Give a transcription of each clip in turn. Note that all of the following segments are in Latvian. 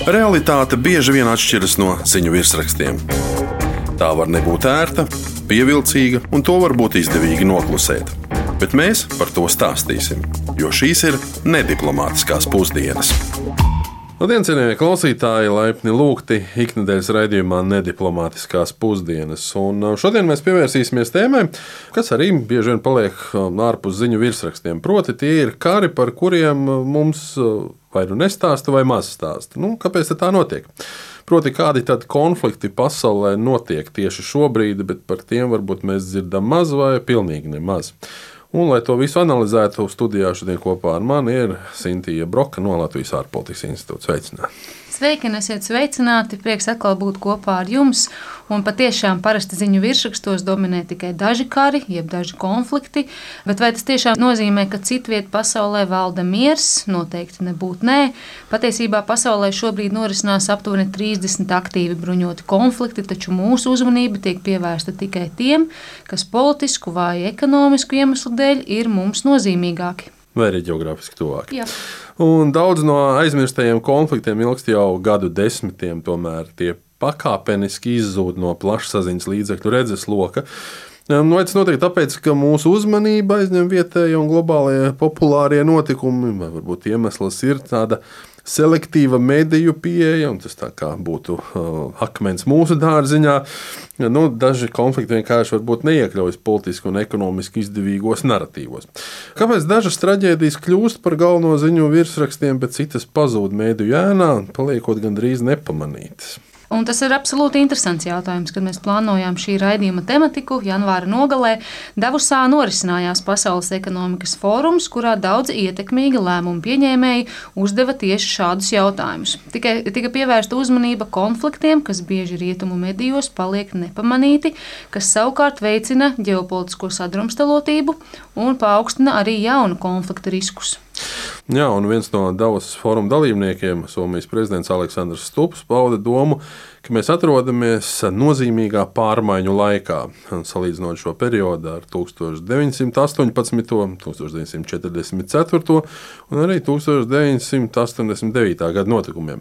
Realitāte bieži vien atšķiras no ziņu virsrakstiem. Tā var nebūt ērta, pievilcīga, un to var būt izdevīgi noklusēt. Bet mēs par to stāstīsim, jo šīs ir nediplomātiskās pusdienas. Labdien, cienījamie klausītāji, laipni lūgti iknedēļas raidījumā Nediplomātiskās pusdienas. Un šodien mēs pievērsīsimies tēmai, kas arī bieži vien paliek ārpus ziņu virsrakstiem. Proti, tie ir kari, par kuriem mums vai nu nestāsta, vai maz stāsta. Kāpēc tā notiek? Proti, kādi tad konflikti pasaulē notiek tieši šobrīd, bet par tiem varbūt mēs dzirdam maz vai pilnīgi nemaz. Un, lai to visu analizētu, studijā šodien kopā ar mani ir Sintija Broka no Latvijas ārpolitikas institūta. Sveicināti! Sveiki, esiet sveicināti! Prieks atkal būt kopā ar jums. Un patiešām parasti ziņu virsrakstos dominē tikai daži kari, jeb daži konflikti. Bet vai tas tiešām nozīmē, ka citviet pasaulē valda miers? Noteikti nebūtu nē. Patiesībā pasaulē šobrīd norisinās aptuveni 30 aktīvi bruņoti konflikti, taču mūsu uzmanība tiek pievērsta tikai tiem, kas politisku vai ekonomisku iemeslu dēļ ir mums nozīmīgāki. Vai arī ģeogrāfiski tuvāki. Jā. Un daudz no aizmirstajiem konfliktiem ilgst jau gadu desmitiem, tomēr tie pakāpeniski izzūd no plašsaziņas līdzekļu redzesloka. Tas notiek tāpēc, ka mūsu uzmanība aizņem vietējie un globālie populārie notikumi, vai varbūt iemesls ir tāda selektīva mediju pieeja, un tas tā kā būtu akmens mūsu dārziņā. Daži konflikti vienkārši varbūt neiekļaujas politiski un ekonomiski izdevīgos naratīvos. Kāpēc dažas traģēdijas kļūst par galveno ziņu virsrakstiem, bet citas pazūd mediju ēnā, paliekot gandrīz nepamanītas? Un tas ir absolūti interesants jautājums, kad mēs plānojām šī raidījuma tematiku. Janvāra nogalē Davosā norisinājās Pasaules ekonomikas fórums, kurā daudzi ietekmīgi lēmumu pieņēmēji uzdeva tieši šādus jautājumus. Tika pievērsta uzmanība konfliktiem, kas bieži rietumu medijos paliek nepamanīti, kas savukārt veicina ģeopolitisko sadrumstalotību un paaugstina arī jaunu konfliktu riskus. Jā, un viens no Davosas fóruma dalībniekiem, Somijas prezidents Aleksandrs Stubbs, pauda domu, ka mēs atrodamies nozīmīgā pārmaiņu laikā, salīdzinot šo periodu ar 1918., 1944. un arī 1989. gada notikumiem.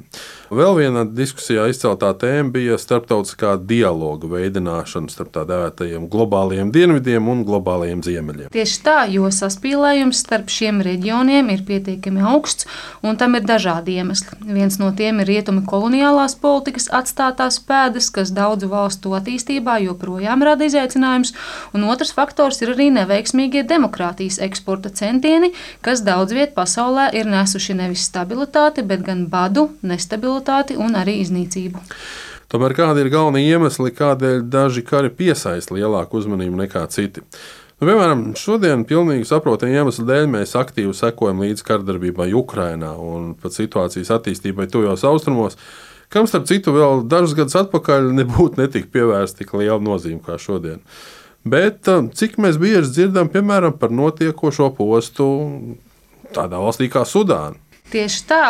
Vēl viena diskusijā izceltā tēma bija starptautiskā dialoga veidināšana starp tā dēvētajiem globālajiem dienvidiem un globālajiem ziemeļiem. Tieši tā, jo saspīlējums starp šiem reģioniem ir pietiekami augsts, un tam ir dažādi iemesli. Viens no tiem ir rietumi koloniālās politikas atstātās pēdas, kas daudzu valstu attīstībā joprojām rada izaicinājumus, un otrs faktors ir arī neveiksmīgie demokrātijas eksporta centieni, kas daudz viet pasaulē ir nesuši nevis stabilitāti, bet gan badu, nestabilitāti un arī iznīcību. Tomēr kādi ir galvenie iemesli, kādēļ daži kari piesaista lielāku uzmanību nekā citi? Piemēram, šodien pilnīgi saprotamu iemeslu dēļ mēs aktīvi sekojam līdz kardarbībai Ukrainā un pat situācijas attīstībai tuvajos austrumos, kam starp citu vēl dažus gadus atpakaļ netika pievērsta tik liela nozīme kā šodien. Bet cik mēs bieži dzirdam, piemēram, par notiekošo postu tādā valstī kā Sudāna? Tieši tā,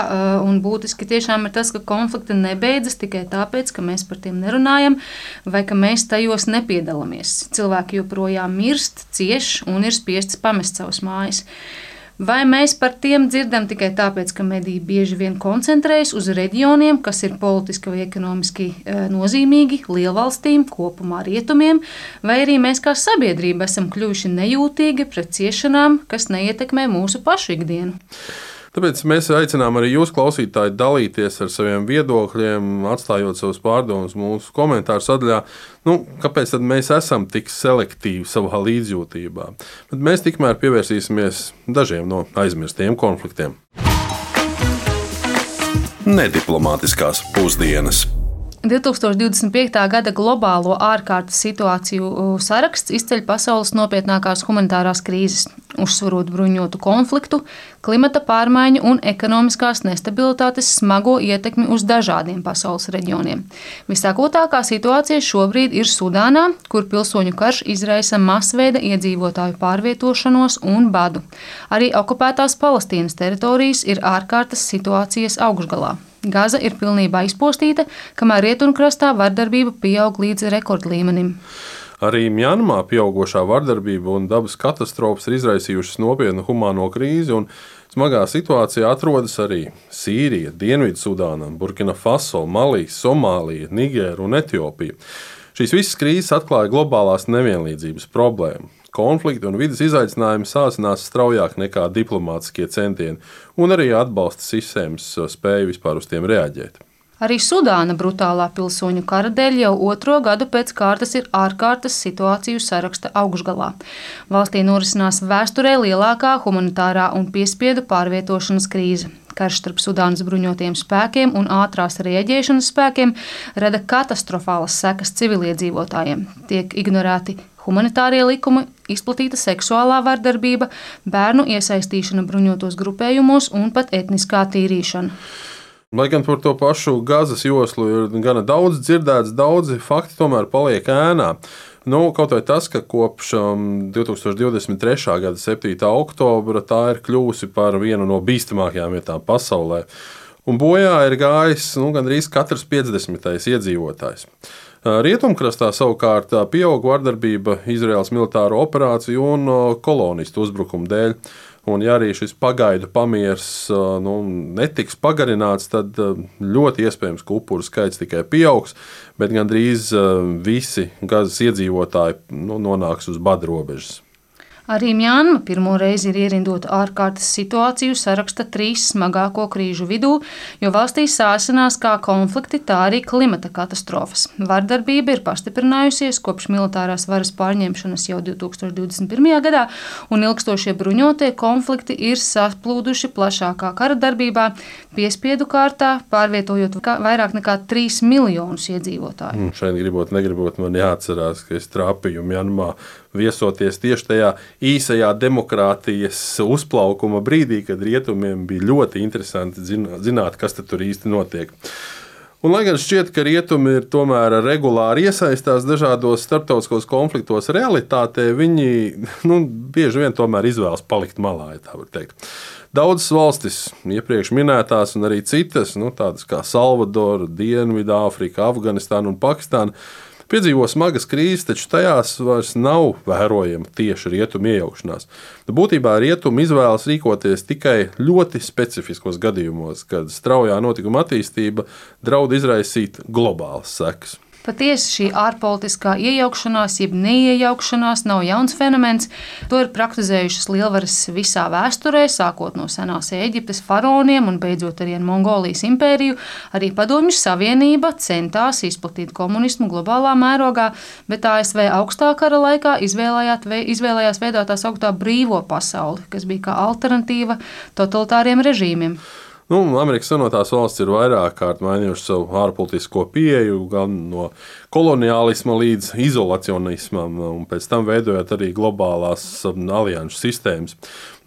un būtiski tiešām ir tas, ka konflikti nebeidzas tikai tāpēc, ka mēs par tiem nerunājam vai ka mēs tajos nepiedalāmies. Cilvēki joprojām mirst, cieš un ir spiests pamest savas mājas. Vai mēs par tiem dzirdam tikai tāpēc, ka mediji bieži vien koncentrējas uz reģioniem, kas ir politiski vai ekonomiski nozīmīgi lielvalstīm, kopumā rietumiem, vai arī mēs kā sabiedrība esam kļuvuši nejūtīgi pret ciešanām, kas neietekmē mūsu pašu ikdienu? Tāpēc mēs aicinām arī jūs, klausītāji, dalīties ar saviem viedokļiem, atstājot savus pārdomus mūsu komentāru sadaļā. Kāpēc tad mēs esam tik selektīvi savā līdzjūtībā? Bet mēs tikmēr pievērsīsimies dažiem no aizmirstiem konfliktiem. Nediplomātiskās pusdienas. 2025. gada globālo ārkārtas situāciju saraksts izceļ pasaules nopietnākās humanitārās krīzes, uzsverot bruņotu konfliktu, klimata pārmaiņu un ekonomiskās nestabilitātes smago ietekmi uz dažādiem pasaules reģioniem. Visakūtākā situācija šobrīd ir Sudānā, kur pilsoņu karš izraisa masveida iedzīvotāju pārvietošanos un badu. Arī okupētās Palestīnas teritorijas ir ārkārtas situācijas augšgalā. Gaza ir pilnībā izpostīta, kamēr rietumkrastā vardarbība pieaug līdz rekordlīmenim. Arī Mjanmā pieaugošā vardarbība un dabas katastrofas ir izraisījušas nopietnu humāno krīzi, un Smagā situācijā atrodas arī Sīrija, Dienvidsudāna, Burkina Faso, Malī, Somālija, Nigēra un Etiopija. Šīs visas krīzes atklāja globālās nevienlīdzības problēmu. Konflikti un vides izaicinājumi sāsinās straujāk nekā diplomātiskie centieni, un arī atbalsta sistēmas spēja vispār uz tiem reaģēt. Arī Sudāna brutālā pilsoņu kara dēļ jau 2. gadu pēc kārtas ir ārkārtas situāciju saraksta augšgalā. Valstī norisinās vēsturē lielākā humanitārā un piespiedu pārvietošanas krīze. Karš starp Sudānas bruņotajiem spēkiem un ātrās rieģēšanas spēkiem rada katastrofālas sekas civiliedzīvotājiem. Tiek ignorēti humanitārie likumi, izplatīta seksuālā vardarbība, bērnu iesaistīšana bruņotos grupējumos un pat etniskā tīrīšana. Lai gan par to pašu Gazas joslu ir gana daudz dzirdēts, daudzi fakti tomēr paliek ēnā. Kaut vai tas, ka kopš 2023. gada 7. oktobra tā ir kļuvusi par vienu no bīstamākajām vietām pasaulē. Un bojā ir gājis gandrīz katrs 50. iedzīvotājs. Rietumkrastā savukārt pieauga vardarbība Izraēlas militāro operāciju un kolonistu uzbrukumu dēļ. Un, ja arī šis pagaidu pamiers netiks pagarināts, tad ļoti iespējams, ka upuru skaits tikai pieaugs, bet gandrīz visi Gazas iedzīvotāji nonāks uz bada robežas. Arī Mjanma pirmo reizi ir ierindota ārkārtas situāciju saraksta 3 smagāko krīžu vidū, jo valstī sāsinās kā konflikti, tā arī klimata katastrofas. Vardarbība ir pastiprinājusies kopš militārās varas pārņemšanas jau 2021. gadā, un ilgstošie bruņotie konflikti ir saplūduši plašākā kara darbībā, piespiedu kārtā, pārvietojot vairāk nekā 3 miljonus iedzīvotāju. Šeit negribot man jāatcerās, ka es trāpīju Mjanmā viesoties tieši tajā īsajā demokrātijas uzplaukuma brīdī, kad rietumiem bija ļoti interesanti zināt, kas tur īsti notiek. Un, lai gan šķiet, ka rietumi ir tomēr regulāri iesaistās dažādos starptautiskos konfliktos, realitātē viņi bieži vien tomēr izvēlas palikt malā, ja tā var teikt. Daudzas valstis, iepriekš minētās un arī citas, tādas kā Salvadora, Dienvidāfrika, Afganistāna un Pakistāna, piedzīvo smagas krīzes, taču tajās vairs nav vērojama tieši rietumu iejaukšanās. Būtībā rietumi izvēlas rīkoties tikai ļoti specifiskos gadījumos, kad straujā notikuma attīstība draud izraisīt globālas sekas. Patiesi šī ārpolitiskā iejaukšanās, jeb neiejaukšanās nav jauns fenomens. To ir praktizējušas lielvaras visā vēsturē, sākot no senās Ēģiptes faraoniem un beidzot arī ar Mongolijas impēriju. Arī Padomju Savienība centās izplatīt komunismu globālā mērogā, bet ASV augstā kara laikā izvēlējās veidot tā sauktā brīvo pasauli, kas bija kā alternatīva totalitāriem režīmiem. Amerikas Savienotās valstis ir vairāk kārt mainījušas savu ārpolitisko pieeju, gan no koloniālisma līdz izolacionismam, un pēc tam veidojot arī globālās alianšu sistēmas.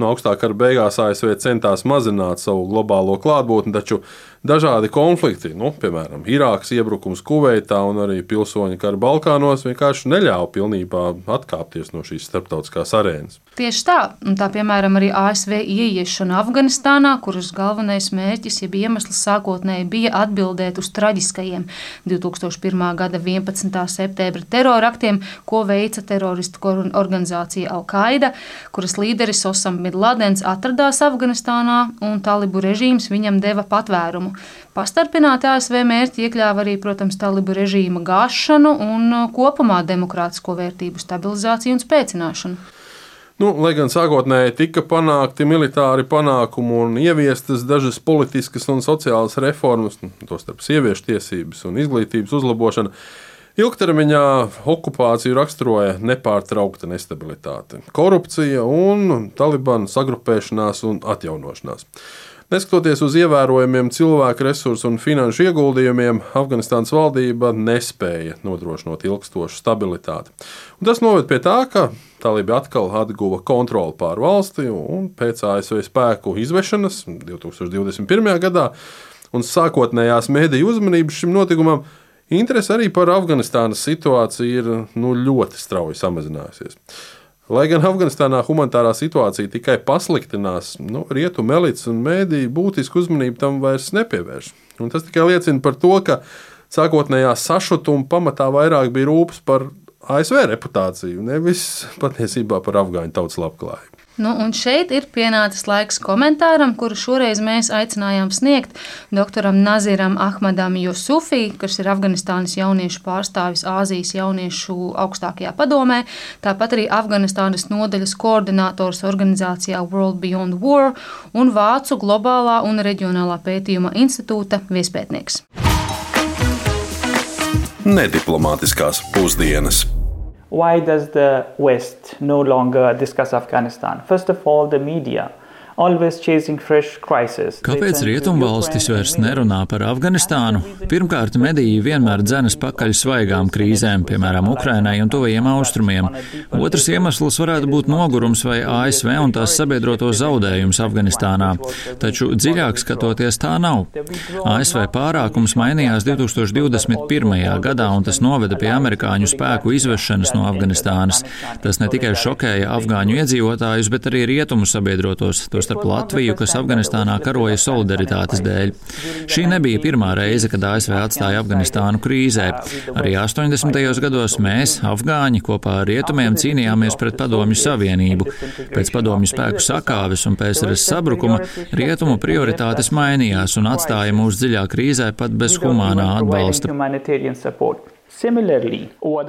No augstā kara beigās ASV centās mazināt savu globālo klātbūtni, taču dažādi konflikti, piemēram, Irākas iebrukums Kuveitā un arī pilsoņu kara Balkānos vienkārši neļāva pilnībā atkāpties no šīs starptautiskās arēnas. Tieši tā, un tā piemēram arī ASV ieiešana Afganistānā, kuras galvenais mērķis, jeb iemesls sākotnēji bija atbildēt uz traģiskajiem 2001. gada 11. septembra teroraktiem, ko veica teroristu organizācija Al-Qaida, kuras līderis Osama bin Ladens atradās Afganistānā un talibu režīms viņam deva patvērumu. Pastarpināti ASV mērķi iekļāva arī, protams, talibu režīma gāšanu un kopumā demokrātisko vērtību stabilizāciju un spēcināšanu. Lai gan sākotnēji tika panākti militāri panākumi un ieviestas dažas politiskas un sociālas reformas, tostarp sieviešu tiesības un izglītības uzlabošana, ilgtermiņā okupāciju raksturoja nepārtraukta nestabilitāte, korupcija un Talibanu sagrupēšanās un atjaunošanās. Neskatoties uz ievērojumiem cilvēku resursu un finanšu ieguldījumiem, Afganistānas valdība nespēja nodrošināt ilgstošu stabilitāti. Un tas noved pie tā, ka talibi atkal atguva kontroli pār valsti un pēc ASV spēku izvešanas 2021. gadā un sākotnējās mediju uzmanības šim notikumam, interese arī par Afganistānas situāciju ir ļoti strauji samazinājusies. Lai gan Afganistānā humanitārā situācija tikai pasliktinās, rietumu elites un mēdīji būtisku uzmanību tam vairs nepievērš. Un tas tikai liecina par to, ka sākotnējā sašutuma pamatā vairāk bija rūpes par ASV reputāciju, nevis patiesībā par afgāņu tautas labklājību. Nu, un šeit ir pienācis laiks komentāram, kuru šoreiz mēs aicinājām sniegt doktoram Naziram Ahmadam Jusufī, kas ir Afganistānas jauniešu pārstāvis Āzijas jauniešu augstākajā padomē, tāpat arī Afganistānas nodaļas koordinators organizācijā World Beyond War un Vācu globālā un reģionālā pētījuma institūta viespētnieks. Nediplomātiskās pusdienas. Why does the West no longer discuss Afghanistan? First of all, the media. Kāpēc rietumvalstis vairs nerunā par Afganistānu? Pirmkārt, mediji vienmēr dzenas pakaļ svaigām krīzēm, piemēram, Ukrainai un tuvajiem austrumiem. Otrs iemesls varētu būt nogurums vai ASV un tās sabiedroto zaudējums Afganistānā. Taču dziļāk skatoties tā nav. ASV pārākums mainījās 2021. gadā, un tas noveda pie amerikāņu spēku izvešanas no Afganistānas. Tas ne tikai šokēja afgāņu iedzīvotājus, bet arī rietumu sabiedrotos, starp Latviju, kas Afganistānā karoja solidaritātes dēļ. Šī nebija pirmā reize, kad ASV atstāja Afganistānu krīzē. Arī 80. gados mēs, afgāņi, kopā ar rietumiem cīnījāmies pret Padomju Savienību. Pēc Padomju spēku sakāves un PSRS sabrukuma rietumu prioritātes mainījās un atstāja mūs dziļā krīzē pat bez humānā atbalsta.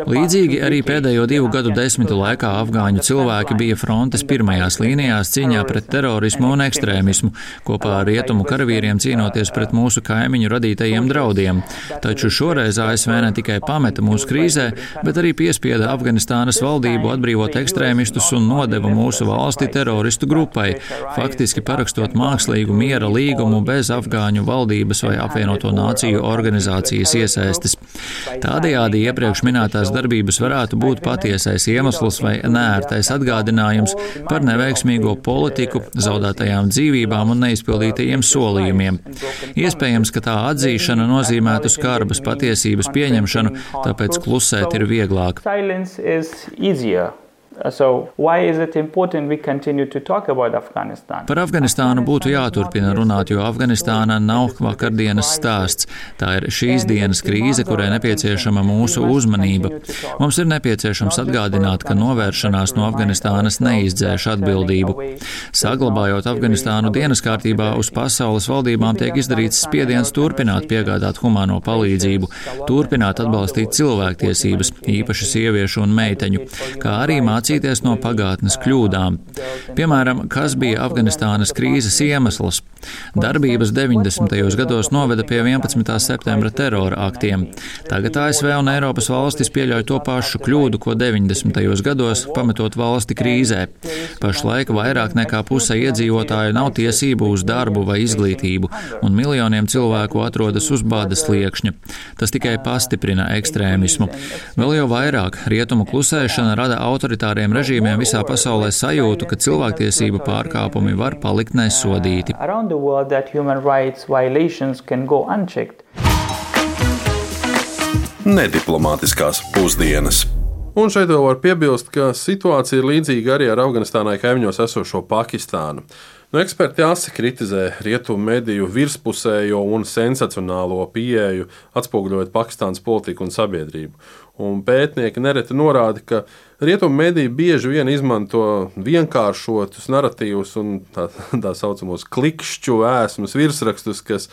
Līdzīgi arī pēdējo 2 gadu desmitu laikā afgāņu cilvēki bija frontes pirmajās līnijās cīņā pret terorismu un ekstrēmismu, kopā ar rietumu karavīriem cīnoties pret mūsu kaimiņu radītajiem draudiem. Taču šoreiz ASV ne tikai pameta mūsu krīzē, bet arī piespieda Afganistānas valdību atbrīvot ekstrēmistus un nodeva mūsu valsti teroristu grupai, faktiski parakstot mākslīgu miera līgumu bez afgāņu valdības vai apvienoto nāciju organizācijas iesaistes. Tādējādi iepriekš minētās darbības varētu būt patiesais iemesls vai neērtais atgādinājums par neveiksmīgo politiku, zaudētajām dzīvībām un neizpildītajiem solījumiem. Iespējams, ka tā atzīšana nozīmētu skarbas patiesības pieņemšanu, tāpēc klusēt ir vieglāk. Par Afganistānu būtu jāturpina runāt, jo Afganistāna nav vakardienas stāsts. Tā ir šīs dienas krīze, kurai nepieciešama mūsu uzmanība. Mums ir nepieciešams atgādināt, ka novēršanās no Afganistānas neizdzēš atbildību. Saglabājot Afganistānu dienas kārtībā, uz pasaules valdībām tiek izdarīts spiediens turpināt piegādāt humāno palīdzību, turpināt atbalstīt cilvēktiesības, īpaši sieviešu un meiteņu, kā arī mācīties no pagātnes kļūdām. Piemēram, kas bija Afganistānas krīzes iemesls? Darbības 90. gados noveda pie 11. septembra terora aktiem. Tagad ASV un Eiropas valstis pieļauj to pašu kļūdu, ko 90. gados, pametot valsti krīzē. Pašlaik vairāk nekā puse iedzīvotāju nav tiesību uz darbu vai izglītību, un miljoniem cilvēku atrodas uz bada sliekšņa. Tas tikai pastiprina ekstrēmismu. Vēl jau vairāk rietumu klusēšana rada autoritāriem režīmiem visā pasaulē sajūtu, ka cilvēktiesību pārkāpumi var palikt nesodīti. Nediplomātiskās pusdienas. Un šeit vēl var piebilst, ka situācija ir līdzīga arī ar Afganistānai kaimiņos esošo Pakistānu. Eksperti asi kritizē rietumu mediju virspusējo un sensacionālo pieeju, atspoguļojot Pakistānas politiku un sabiedrību. Un pētnieki nereti norāda, ka rietumu mediji bieži vien izmanto vienkāršotus naratīvus un tā saucamos klikšķu ēsmas virsrakstus, kas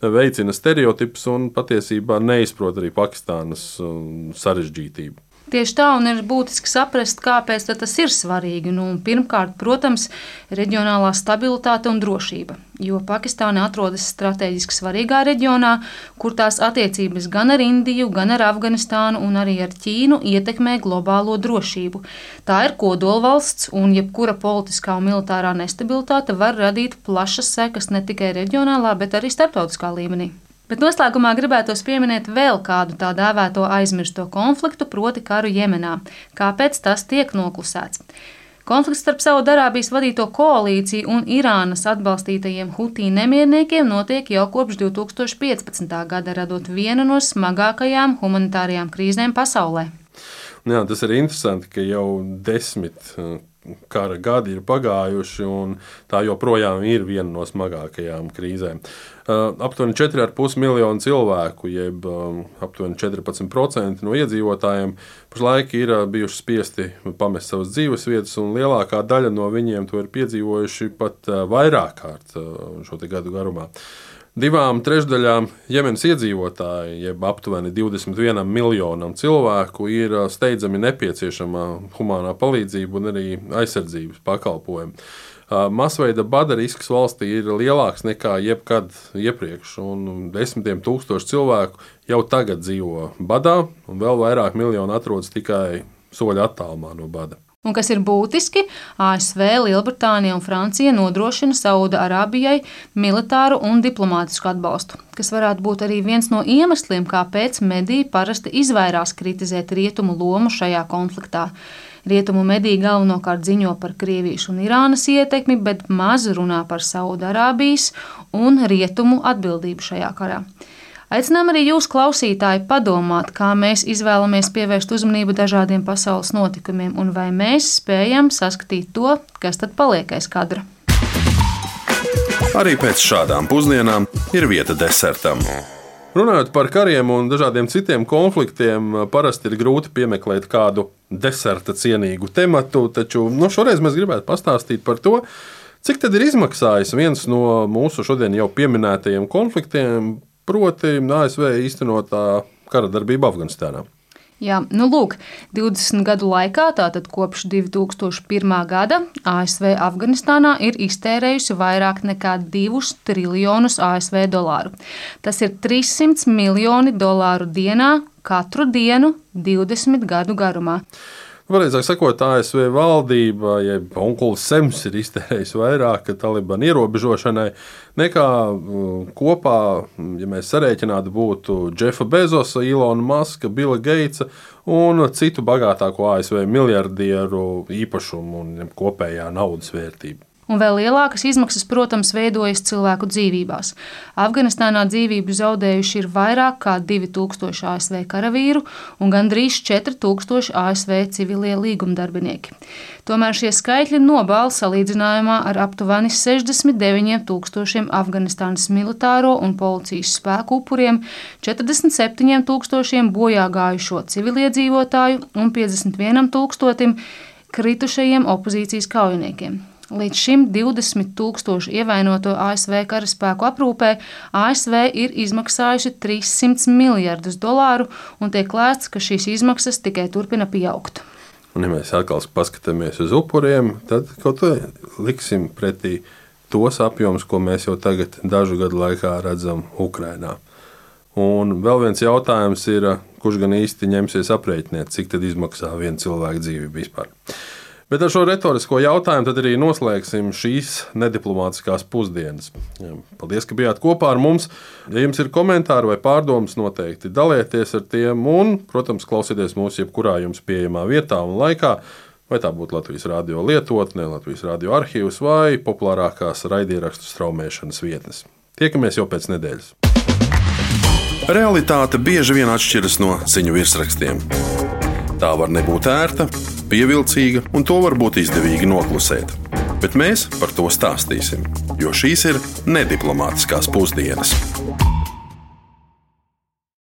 veicina stereotipus un patiesībā neizprot arī Pakistānas sarežģītību. Tieši tā, un ir būtiski saprast, kāpēc tas ir svarīgi. Pirmkārt, protams, reģionālā stabilitāte un drošība, jo Pakistāna atrodas strateģiski svarīgā reģionā, kur tās attiecības gan ar Indiju, gan ar Afganistānu un arī ar Ķīnu ietekmē globālo drošību. Tā ir kodolvalsts, un jebkura politiskā un militārā nestabilitāte var radīt plašas sekas ne tikai reģionālā, bet arī starptautiskā līmenī. Bet noslēgumā gribētos pieminēt vēl kādu tā dēvēto aizmirsto konfliktu, proti karu Jemenā. Kāpēc tas tiek noklusēts? Konflikts starp Saudarābijas vadīto koalīciju un Irānas atbalstītajiem Hutī nemierniekiem notiek jau kopš 2015. gada, radot vienu no smagākajām humanitārajām krīzēm pasaulē. Jā, tas ir interesanti, ka jau 10 kara gadi ir pagājuši, un tā joprojām ir viena no smagākajām krīzēm. Aptuveni 4,5 miljoni cilvēku, jeb aptuveni 14% no iedzīvotājiem, pašlaik ir bijuši spiesti pamest savas dzīvesvietas, un lielākā daļa no viņiem to ir piedzīvojuši pat vairāk kārt šo te gadu garumā. 2/3 Jemenas iedzīvotāji, jeb aptuveni 21 miljonam cilvēku, ir steidzami nepieciešama humānā palīdzība un arī aizsardzības pakalpojumi. Masveida bada risks valstī ir lielāks nekā jebkad iepriekš, un 10 000 cilvēku jau tagad dzīvo badā, un vēl vairāk miljoni atrodas tikai soļa attālumā no bada. Un kas ir būtiski, ASV, Lielbritānija un Francija nodrošina Sauda-Arābijai militāru un diplomātisku atbalstu, kas varētu būt arī viens no iemesliem, kāpēc mediji parasti izvairās kritizēt rietumu lomu šajā konfliktā. Rietumu mediji galvenokārt ziņo par Krievijas un Irānas ietekmi, bet maz runā par Sauda-Arābijas un rietumu atbildību šajā karā. Aicinām arī jūs, klausītāji, padomāt, kā mēs izvēlamies pievērst uzmanību dažādiem pasaules notikumiem un vai mēs spējam saskatīt to, kas tad paliek aiz kadra. Arī pēc šādām pusdienām ir vieta desertam. Runājot par kariem un dažādiem citiem konfliktiem, parasti ir grūti piemeklēt kādu deserta cienīgu tematu, taču šoreiz mēs gribētu pastāstīt par to, cik tad ir izmaksājis viens no mūsu šodien jau pieminētajiem konfliktiem, proti ASV īstenotā kara darbība Afganistānā. Jā, 20 gadu laikā, tātad kopš 2001. gada, ASV Afganistānā ir iztērējusi vairāk nekā 2 triljonus ASV dolāru. Tas ir 300 miljoni dolāru dienā, katru dienu 20 gadu garumā. Pareizāk sakot, ASV valdība, jeb onkulis Sems, ir iztērējis vairāk Talibanu ierobežošanai nekā kopā, ja mēs sarēķinātu, būtu Jeffa Bezosa, Ilona Maska, Billa Gatesa un citu bagātāko ASV miljardieru īpašumu un kopējā naudas vērtība. Un vēl lielākas izmaksas, protams, veidojas cilvēku dzīvībās. Afganistānā dzīvību zaudējuši ir vairāk kā 2000 ASV karavīru un gandrīz 4000 ASV civilie līgumdarbinieki. Tomēr šie skaitļi nobāla salīdzinājumā ar aptuveni 69 000 Afganistānas militāro un policijas spēku upuriem, 47 000 bojā gājušo civiliedzīvotāju un 51 000 kritušajiem opozīcijas kaujiniekiem. Līdz šim 20 000 ievainoto ASV karaspēku aprūpē ASV ir izmaksājuši 300 miljardus dolāru, un tiek lēsts, ka šīs izmaksas tikai turpina pieaugt. Un, ja mēs atkal paskatāmies uz upuriem, tad kaut ko liksim pretī tos apjomus, ko mēs jau tagad dažu gadu laikā redzam Ukrainā. Un vēl viens jautājums ir, kurš gan īsti ņemsies aprēķināt, cik tad izmaksā viena cilvēka dzīvība vispār. Bet ar šo retorisko jautājumu tad arī noslēgsim šīs nediplomātiskās pusdienas. Paldies, ka bijāt kopā ar mums. Ja jums ir komentāri vai pārdomas, noteikti dalieties ar tiem un, protams, klausieties mūs jebkurā jums pieejamā vietā un laikā, vai tā būtu Latvijas radio lietotne, Latvijas radio arhīvs vai populārākās raidierakstu straumēšanas vietnes. Tiekamies jau pēc nedēļas. Realitāte bieži vien atšķiras no ziņu virsrakstiem. Tā var nebūt ērta, pievilcīga, un to var būt izdevīgi noklusēt. Bet mēs par to stāstīsim, jo šīs ir nediplomātiskās pusdienas.